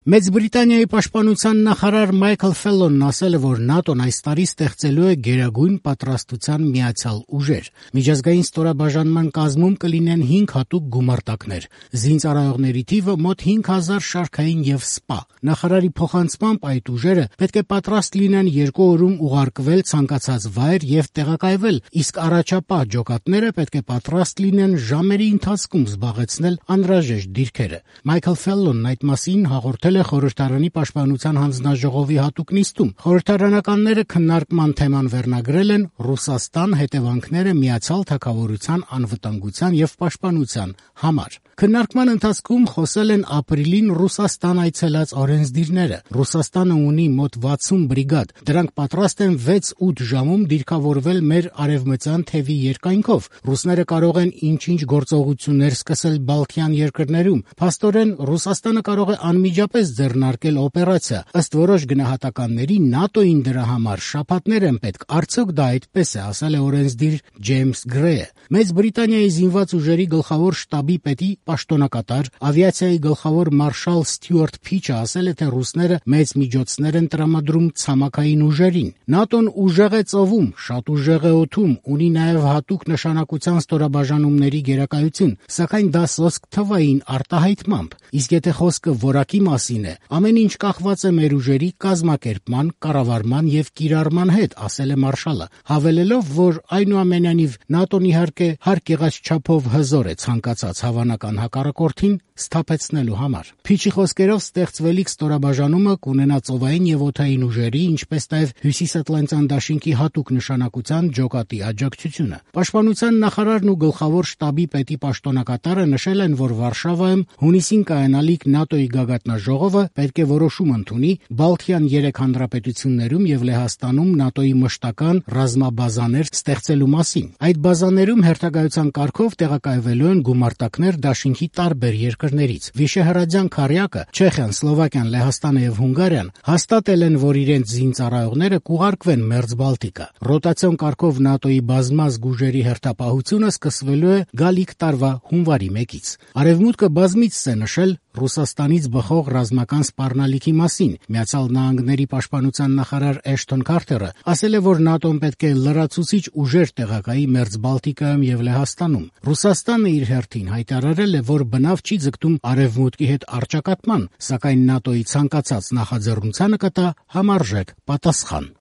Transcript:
Մեծ Բրիտանիայի պաշտպանության նախարար Մայքլ Ֆելլոնն ասել է, որ ՆԱՏՕ-ն այս տարի ստեղծելու է գերագույն պատրաստության միացյալ ուժեր։ Միջազգային ստորաբաժանման կազմում կլինեն 5 հատուկ գումարտակներ։ Զինծառայողների թիվը մոտ 5000 շարքային եւ սպա։ Նախարարի փոխանցմամբ այդ ուժերը պետք է պատրաստ լինեն 2 օրում ուղարկվել ցանկացած վայր եւ տեղակայվել, իսկ առաջապահ ջոկատները պետք է պատրաստ լինեն ժամերի ընթացքում զբաղեցնել անհրաժեշտ դիրքերը։ Մայքլ Ֆելլոնն այդ մասին հաղորդել է Խորհրդարանի պաշտպանության հանձնաժողովի հատուկ նիստում։ Խորհրդարանականները քննարկման թեման վերնագրել են «Ռուսաստան. հետևանքները Միացյալ Թագավորության անվտանգության եւ պաշտպանության համար»։ Քննարկման ընթացքում խոսել են ապրիլին Ռուսաստան այցելած օրենսդիրները։ Ռուսաստանը ունի մոտ 60 բրիգադ։ Դրանք պատրաստ են 6-8 ժամում դիրքավորվել մեր արևմտյան թևի երկայնքով։ Ռուսները կարող են ինչ-ինչ գործողություններ սկսել Բալթյան երկրներում։ Փաստորեն Ռուսաստանը կարող է անմիջապես ձեռնարկել օպերացիա։ Ըստ որոշ գնահատականների ՆԱՏՕ-ին դրա համար շաբաթներ են պետք։ Արդյոք դա այդպես է, ասել է օրենսդիր Ջեյմս Գրեյը։ Մեծ Բրիտանիայի զինված ուժերի գլխավոր շտաբի պետի պաշտոնակատար, ավիացիայի գլխավոր մարշալ Ստյուարտ Փիչը ասել է, թե ռուսները մեծ միջոցներ են տրամադրում ցամաքային ուժերին։ ՆԱՏՕ-ն ուժեղ է ծովում, շատ ուժեղ է օդում, ունի նաև հատուկ նշանակության ստորաբաժանումների գերակայություն, սակայն դա սոսկ թվային արտահայտմամբ։ Իսկ եթե խոսքը որակի մասին է, ամեն ինչ կախված է մեր ուժերի կազմակերպման, կառավարման եւ կիրառման հետ, ասել է մարշալը, հավելելով, որ այնուամենայնիվ ՆԱՏՕ-ն իհարկե հարկ եղած չափով հզոր է ցանկացած հավանական հակառակորդին սթափեցնելու համար։ Փիչի խոսքերով ստեղծվելիք ստորաբաժանումը կունենա ծովային եւ օդային ուժերի, ինչպես նաեւ Հյուսիսատլանտյան դաշինքի հատուկ նշանակության ջոկատի աջակցությունը։ Պաշտպանության նախարարն ու գլխավոր շտաբի պետի պաշտոնակատարը նշել են, որ Վարշավայում հունիսին կայանալիք ՆԱՏՕ-ի գագաթնաժողովը պետք է որոշում ընդունի Բալթյան 3 հանրապետություններում եւ Լեհաստանում ՆԱՏՕ-ի մշտական ռազմաբազաներ ստեղծելու մասին։ Այդ բազաներում հերթագայության կարգով տեղակայվելու են գումարտակներ դաշինքի տարբեր երկրներից։ Վիշեհրադյան քառյակը, Չեխիան, Սլովակիան, Լեհաստանը եւ Հունգարիան հաստատել են, որ իրենց զինծառայողները կուղարկվեն Մերձբալտիկա։ Ռոտացիոն կարգով ՆԱՏՕ-ի բազմազգ ուժերի հերթապահությունը սկսվելու է գալիք տարվա հունվարի 1-ից։ Արևմուտքը բազմիցս է նշել Ռուսաստանից բխող ռազմական սպառնալիքի մասին։ Միացյալ Նահանգների պաշտպանության նախարար Էշթոն Քարթերը ասել է, որ ՆԱՏՕ-ն պետք է լրացուցիչ ուժեր տեղակայի Մերձբալտիկայում եւ Լեհաստանում։ Ռուսաստանը իր հերթին հայտարարել է, որ բնավ չի ձգտում Արևմուտքի հետ առճակատման, սակայն ՆԱՏՕ-ի ցանկացած նախաձեռնությանը կտա համարժեք պատասխան։